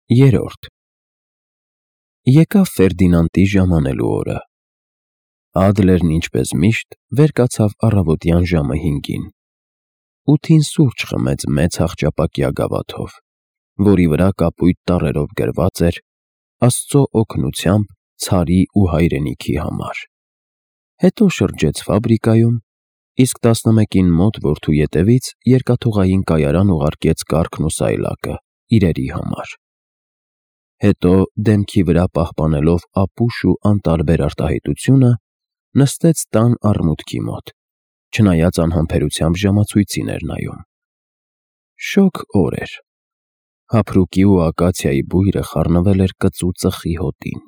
Երրորդ Եկավ Ֆերդինանդի ժամանելու օրը։ Ադլերն ինչպես միշտ վեր կացավ առավոտյան ժամը 5-ին։ 8-ին սուրճ խմեց մեծ հախճապակյա գավաթով, որի վրա կապույտ տառերով գրված էր «Աստծո օգնությամբ ցարի ու հայրենիքի համար»։ Հետո շրջեց ֆաբրիկայում, իսկ 11-ին մոտ որդու ետևից երկաթուղային կայարան ուղարկեց կառքն ու սայլակը իրերի համար։ Հետո, դեմքի վրա պահպանելով ապուշ ու անտարբեր արտահայտությունը, նստեց տան առմուտքի մոտ, չնայած անհամբերությամբ ժամացույցին էր նայում։ Շոգ օր էր։ Հափրուկի ու ակացիայի բույրը խառնվել էր կծու ծխի հոտին։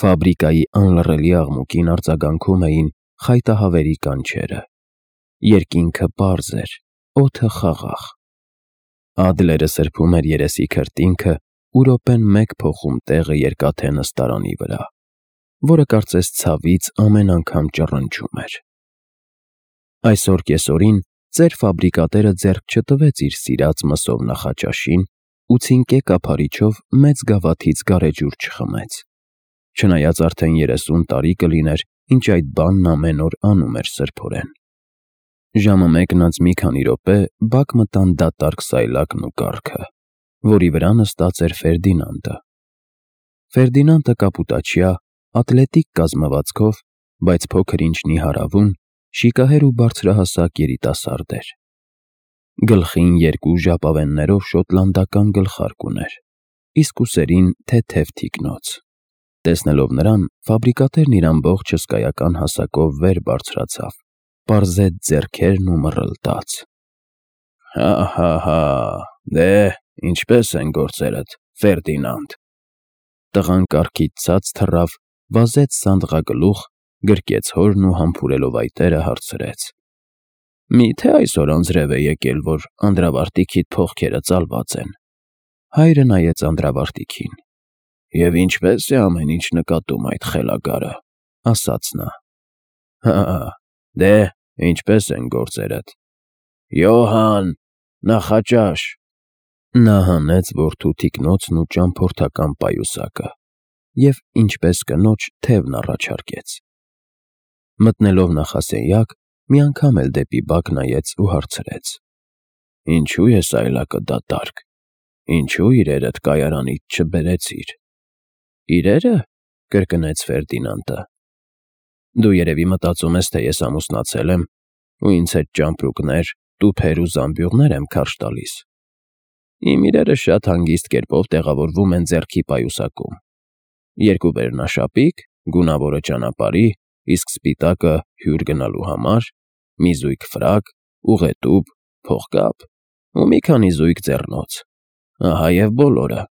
Ֆաբրիկայի անլռելի աղմուկին արձագանքում էին խայտահավերի կանչերը։ Երկինքը պարզ էր, օդը խաղաղ։ Ադլերը սրբում էր երեսի քրտինքը ու րոպեն մեկ փոխում տեղը երկաթե նստարանի վրա, որը կարծես ցավից ամեն անգամ ճռնչում էր։ Այսօր կեսօրին ծեր ֆաբրիկատերը ձեռք չտվեց իր սիրած մսով նախաճաշին ու ցինկե կափարիչով մեծ գավաթից գարեջուր չխմեց, չնայած արդեն 30 տարի կլիներ, ինչ այդ բանն ամեն օր անում էր սրբորեն։ Ժամը 1-ն անց մի քանի րոպե բակ մտան դատարկ սայլակն ու կառքը, որի վրա նստած էր Ֆերդինանդը։ Ֆերդինանդը կապուտաչյա, ատլետիկ կազմվածքով, բայց փոքր-ինչ նիհարավուն, շիկահեր ու բարձրահասակ երիտասարդ էր։ Գլխին 2 ժապավեններով շոտլանդական գլխարկ ուներ, իսկ ուսերին թեթև թիկնոց։ Տեսնելով նրան, ֆաբրիկատերն իր ամբողջ հսկայական հասակով վեր բարձրացավ, պարզեց ձեռքերն ու մռլտաց. Հա, դե, ինչպե՞ս են գործերդ, Ֆերդինանդ։ Տղան կառքից ցած թռավ, վազեց սանդղագլուխ, գրկեց հորն ու համբուրելով այտերը հարցրեց. Մի՞թե այսօր անձրև է եկել, որ անդրավարտիքիդ փողքերը ծալված են։ Հայրը նայեց անդրավարտիքին։ Եվ ինչպե՞ս է ամեն ինչ նկատում այդ խելագարը, ասաց նա։ Հա, դե, ինչպե՞ս են գործերդ։ Յոհան, նախաճաշ։ Նա հանեց որդու թիկնոցն ու ճամփորդական պայուսակը և, ինչպես կնոջ, թևն առաջարկեց։ Մտնելով նախասենյակ, մի անգամ էլ դեպի բակ նայեց ու հարցրեց. Ինչու է սայլակը դատարկ։ Ինչու իրերդ կայարանիդ չբերեցիր։ Իրերը, կրկնեց Ֆերդինանդը։ Դու երևի մտածում ես, թե ես ամուսնացել եմ ու ինձ հետ ճամպրուկներ, տուփեր ու զամբյուղներ եմ քարշ տալիս։ Իմ իրերը շատ հանգիստ կերպով տեղավորվում են ձեռքի պայուսակում։ 2 վերնաշապիկ, գունավորը ճանապարհի, իսկ սպիտակը հյուր գնալու համար, մի զույգ ֆրակ, ուղետուփ, փողկապ ու մի քանի զույգ ձեռնոց։ Ահա և բոլորը։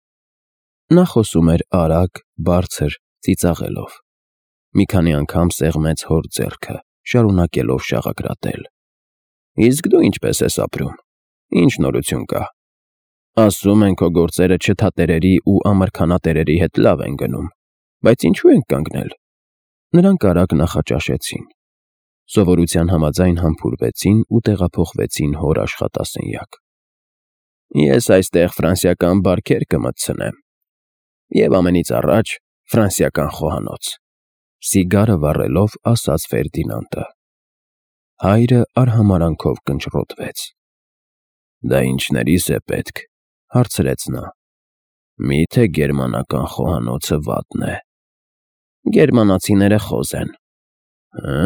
Նա խոսում էր արագ, բարձր, ծիծաղելով։ Մի քանի անգամ սեղմեց հոր ձեռքը, շարունակելով շաղակրատել։ Իսկ դու ինչպես ես ապրում։ Ինչ նորություն կա։ Ասում են, քո գործերը չթատերերի ու ամրքանատերերի հետ լավ են գնում, բայց ինչու ենք կանգնել։ Նրանք արագ նախաճաշեցին։ Սովորության համաձայն համբուրվեցին ու տեղափոխվեցին հոր աշխատասենյակ։ Ես այստեղ ֆրանսիական բարքեր կմտցնեմ։ Եվ ամենից առաջ ֆրանսիական խոհանոց, սիգարը վառելով ասաց Ֆերդինանդը։ Հայրը արհամարանքով կնճռոտվեց։ Դա ինչներիս է պետք, հարցրեց նա։ Մի՞թե գերմանական խոհանոցը վատն է։ Գերմանացիները խոզ են։ Հը՞,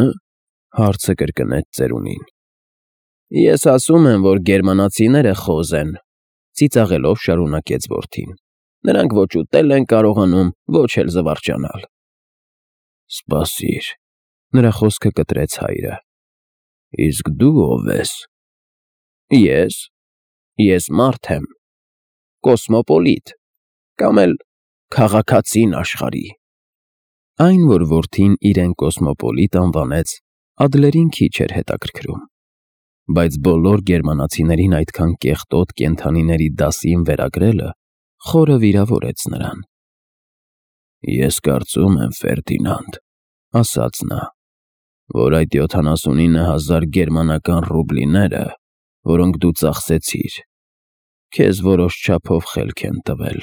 հարցը կրկնեց ծերունին։ Ես ասում եմ, որ գերմանացիները խոզ են, ծիծաղելով շարունակեց որդին։ Նրանք ոչ ուտել են կարողանում, ոչ էլ զվարճանալ։ Սպասիր, նրա խոսքը կտրեց հայրը։ Իսկ դու ով ես։ Ես մարդ եմ, կոսմոպոլիտ, կամ էլ քաղաքացին աշխարհի։ Այն, որ որդին իրեն կոսմոպոլիտ անվանեց, Ադլերին քիչ էր հետաքրքրում, բայց բոլոր գերմանացիներին այդքան կեղտոտ կենդանիների դասին վերագրելը խորը վիրավորեց նրան։ Ես կարծում եմ, Ֆերդինանդ, ասաց նա, որ այդ 79,000 գերմանական ռուբլիները, որոնք դու ծախսեցիր, քեզ որոշ չափով խելք են տվել։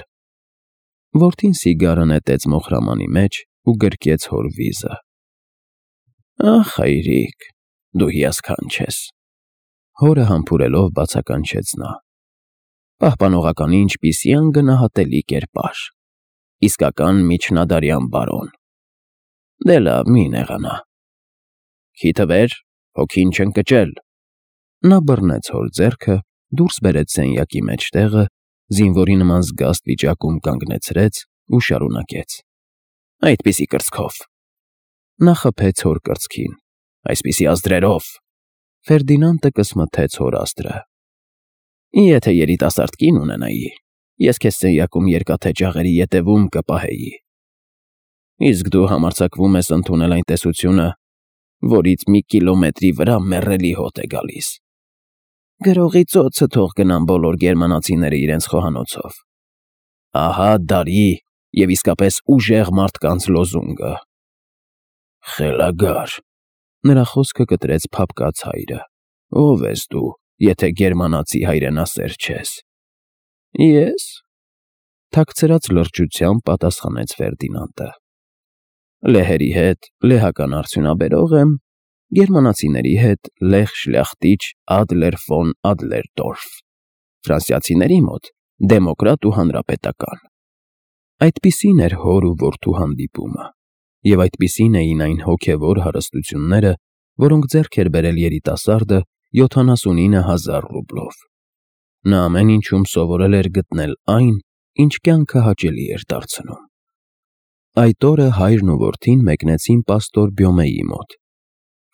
Որդին սիգարը նետեց մոխրամանի մեջ ու գրկեց հոր վիզը։ Ախ, հայրիկ, դու հիասքանչ ես։ Հորը համբուրելով բացականչեց նա։ Պահպանողականի ինչպիսի անգնահատելի կերպար։ Իսկական միջնադարյան բարոն։ Դե լավ, մի նեղանա։ Քիթը վեր, հոգին չընկճել։ Նա բռնեց հոր ձեռքը, դուրս բերեց սենյակի մեջտեղը, զինվորի նման զգաստ վիճակում կանգնեցրեց ու շարունակեց. Այդպիսի կրծքով։ Նա խփեց հոր կրծքին. Այսպիսի ազդրերով։ Ֆերդինանդը կսմթեց հոր ազդրը։ Եթե երիտասարդ կին ունենայի, ես քեզ սենյակում երկաթե ջաղերի ետևում կպահեի։ Իսկ դու համարձակվում ես ընդունել այն տեսությունը, որից մի կիլոմետրի վրա մեռելի հոտ է գալիս։ Գրողի ծոցը թող գնան բոլոր գերմանացիները իրենց խոհանոցով։ Ահա դարի և իսկապես ուժեղ մարդկանց լոզունգը։ Խելագար։ Նրա խոսքը կտրեց փափկած հայրը։ Ով ես դու, եթե գերմանացի հայրենասեր չես։ Ես։ Թաքցրած լրջությամբ պատասխանեց Ֆերդինանդը։ Լեհերի հետ լեհական արդյունաբերող եմ, գերմանացիների հետ լեհ շլյախտիչ Ադլեր ֆոն Ադլերդորֆ, ֆրանսիացիների մոտ դեմոկրատ ու հանրապետական։ Այդպիսին էր հոր ու որդու հանդիպումը, և այդպիսին էին այն հոգևոր հարստությունները, որոնք ձեռք էր բերել երիտասարդը 79,000 ռուբլով։ Նա ամեն ինչում սովորել էր գտնել այն, ինչ կյանքը հաճելի էր դարձնում։ Այդ օրը հայրն ու որդին մեկնեցին պաստոր Բյոմեի մոտ։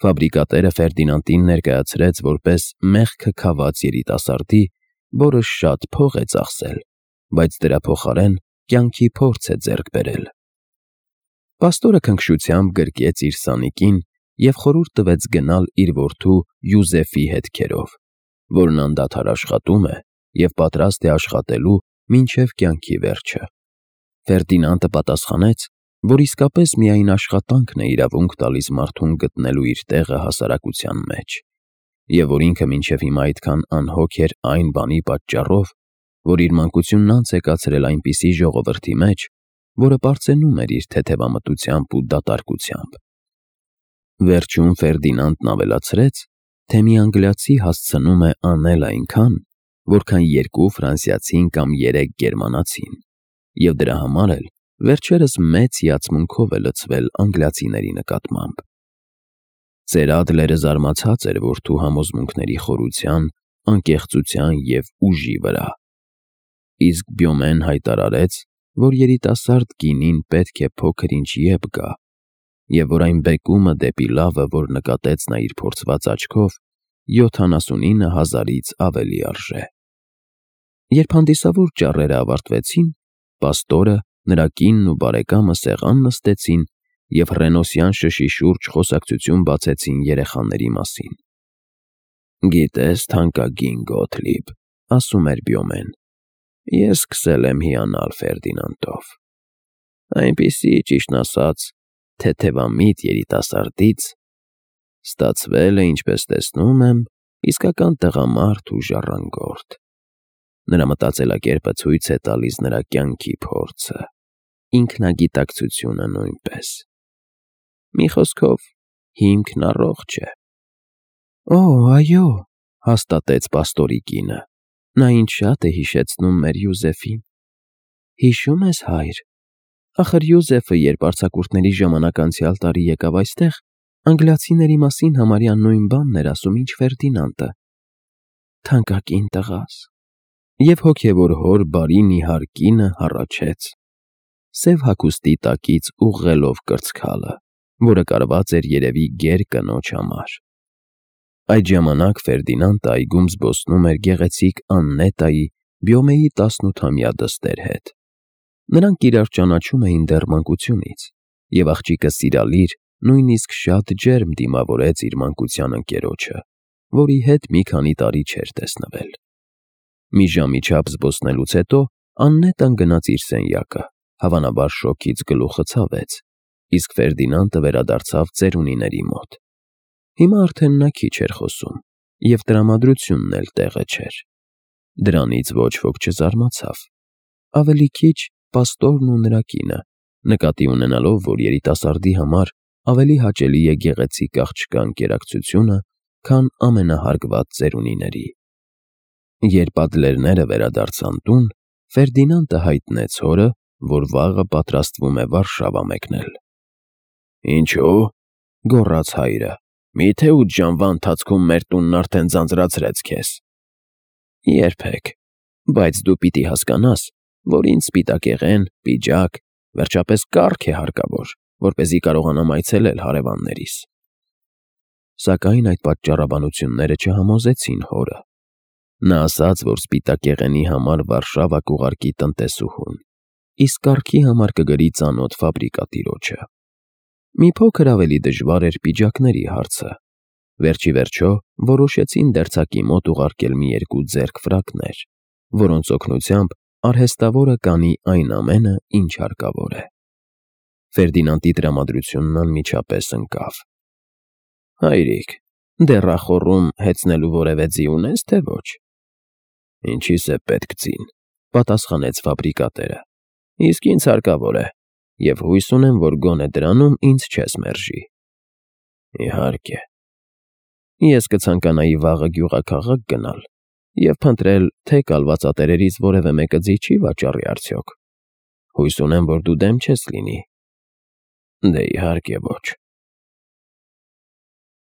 Ֆաբրիկատերը Ֆերդինանդին ներկայացրեց որպես մեղքը քաված երիտասարդի, որը շատ փող է ծախսել, բայց դրա փոխարեն կյանքի փորձ է ձեռք բերել։ Պաստորը քնքշությամբ գրկեց իր սանիկին և խորհուրդ տվեց գնալ իր որդու Յուզեֆի հետքերով, որն անդադար աշխատում է և պատրաստ է աշխատելու մինչև կյանքի վերջը։ Ֆերդինանդը պատասխանեց, որ իսկապես միայն աշխատանքն է իրավունք տալիս մարդուն գտնելու իր տեղը հասարակության մեջ, և որ ինքը մինչև հիմա այդքան անհոգ էր այն բանի պատճառով, որ իր մանկությունն անց է կացրել այնպիսի ժողովրդի մեջ, որը պարծենում էր իր թեթևամտությամբ ու դատարկությամբ։ Վերջում Ֆերդինանդն ավելացրեց, թե մի անգլիացի հասցնում է անել այնքան, որքան երկու ֆրանսիացին կամ 3 գերմանացին, և դրա համար էլ վերջերս մեծ հիացմունքով է լցվել անգլիացիների նկատմամբ։ Ծեր Ադլերը զարմացած էր որդու համոզմունքների խորության, անկեղծության և ուժի վրա։ Իսկ Բյոմեն հայտարարեց, որ երիտասարդ կինին պետք է փոքր-ինչ եբ գա, և որ այն բեկումը դեպի լավը, որ նկատեց նա իր փորձված աչքով, 79,000-ից ավելի արժե։ Երբ հանդիսավոր ճառերը ավարտվեցին, պաստորը, նրա կինն ու բարեկամը սեղան նստեցին և հռենոսյան շշի շուրջ խոսակցություն բացեցին երեխաների մասին։ Գիտես, թանկագին Գոթլիբ, ասում էր Բյոմեն, ես սկսել եմ հիանալ Ֆերդինանդով։ Այնպիսի, ճիշտն ասած, թեթևամիտ երիտասարդից ստացվել է, ինչպես տեսնում եմ, իսկական տղամարդ ու ժառանգորդ։ Նրա մտածելակերպը ցույց է տալիս նրա կյանքի փորձը, ինքնագիտակցությունը նույնպես։ Մի խոսքով, հիմքն առողջ է։ Օ, այո, հաստատեց պաստորի կինը, նա ինձ շատ է հիշեցնում մեր Յուզեֆին։ Հիշում ես, հայր, ախր Յուզեֆը, երբ արձակուրդների ժամանակ անցյալ տարի եկավ այստեղ, անգլիացիների մասին համարյա նույն բանն էր ասում, ինչ Ֆերդինանդը։ Թանկագին տղաս։ Եվ հոգևոր հոր բարի նիհար կինը հառաչեց, սև հագուստի տակից ուղղելով կրծքալը, որը կարված էր երևի գեր կնոջ համար։ Այդ ժամանակ Ֆերդինանդը այգում զբոսնում էր գեղեցիկ Աննետայի, Բյոմեի 18-ամյա դստեր հետ։ Նրանք իրար ճանաչում էին դեռ մանկությունից, և աղջիկը սիրալիր, նույնիսկ շատ ջերմ դիմավորեց իր մանկության ընկերոջը, որի հետ մի քանի տարի չէր տեսնվել։ Մի ժամի չափ զբոսնելուց հետո Աննետան գնաց իր սենյակը, հավանաբար շոկից գլուխը ցավեց, իսկ Ֆերդինանդը վերադարձավ ծերունիների մոտ։ Հիմա արդեն նա քիչ էր խոսում, և տրամադրությունն էլ տեղը չէր։ Դրանից ոչ ոք չզարմացավ։ Ավելի քիչ, պաստորն ու նրա կինը, նկատի ունենալով, որ երիտասարդի համար ավելի հաճելի է գեղեցիկ աղջկա ընկերակցությունը, քան ամենահարգված ծերունիների։ Երբ ադլերները վերադարձան տուն, Ֆերդինանդը հայտնեց հորը, որ վաղը պատրաստվում է Վարշավա մեկնել։ «Ինչո՞ւ», գոռաց հայրը, «միթե 8 ժամվա ընթացքում մեր տունն արդեն ձանձրացրեց քեզ»։ «Երբեք, բայց դու պիտի հասկանաս, որ ինձ սպիտակեղեն, պիջակ, վերջապես կառք է հարկավոր, որպեսզի կարողանամ այցելել հարևաններիս»։ Սակայն այդ պատճառաբանությունները չհամոզեցին հորը։ Նա ասաց, որ սպիտակեղենի համար Վարշավա կուղարկի տնտեսուհուն, իսկ կառքի համար կգրի ծանոթ ֆաբրիկատիրոջը։ Մի փոքր ավելի դժվար էր պիջակների հարցը։ Վերջի վերջո որոշեցին դերձակի մոտ ուղարկել մի երկու ձեռք ֆրակներ, որոնց օգնությամբ արհեստավորը կանի այն ամենը, ինչ հարկավոր է։ Ֆերդինանդի տրամադրությունն անմիջապես ընկավ։ «Հայրիկ, դեռախոռում հեծնելու որևէ ձի ունես, թե ոչ»։ «Ինչիս է պետք ձին», պատասխանեց ֆաբրիկատերը։ «Իսկ ինձ հարկավոր է, և հույս ունեմ, որ գոնե դրանում ինձ չես մերժի»։ «Իհարկե»։ «Ես կցանկանայի վաղը գյուղաքաղաք գնալ և փնտրել, թե կալվածատերերից որևէ մեկը ձի չի վաճառի արդյոք։ Հույս ունեմ, որ դու դեմ չես լինի»։ «Դե իհարկե ոչ»։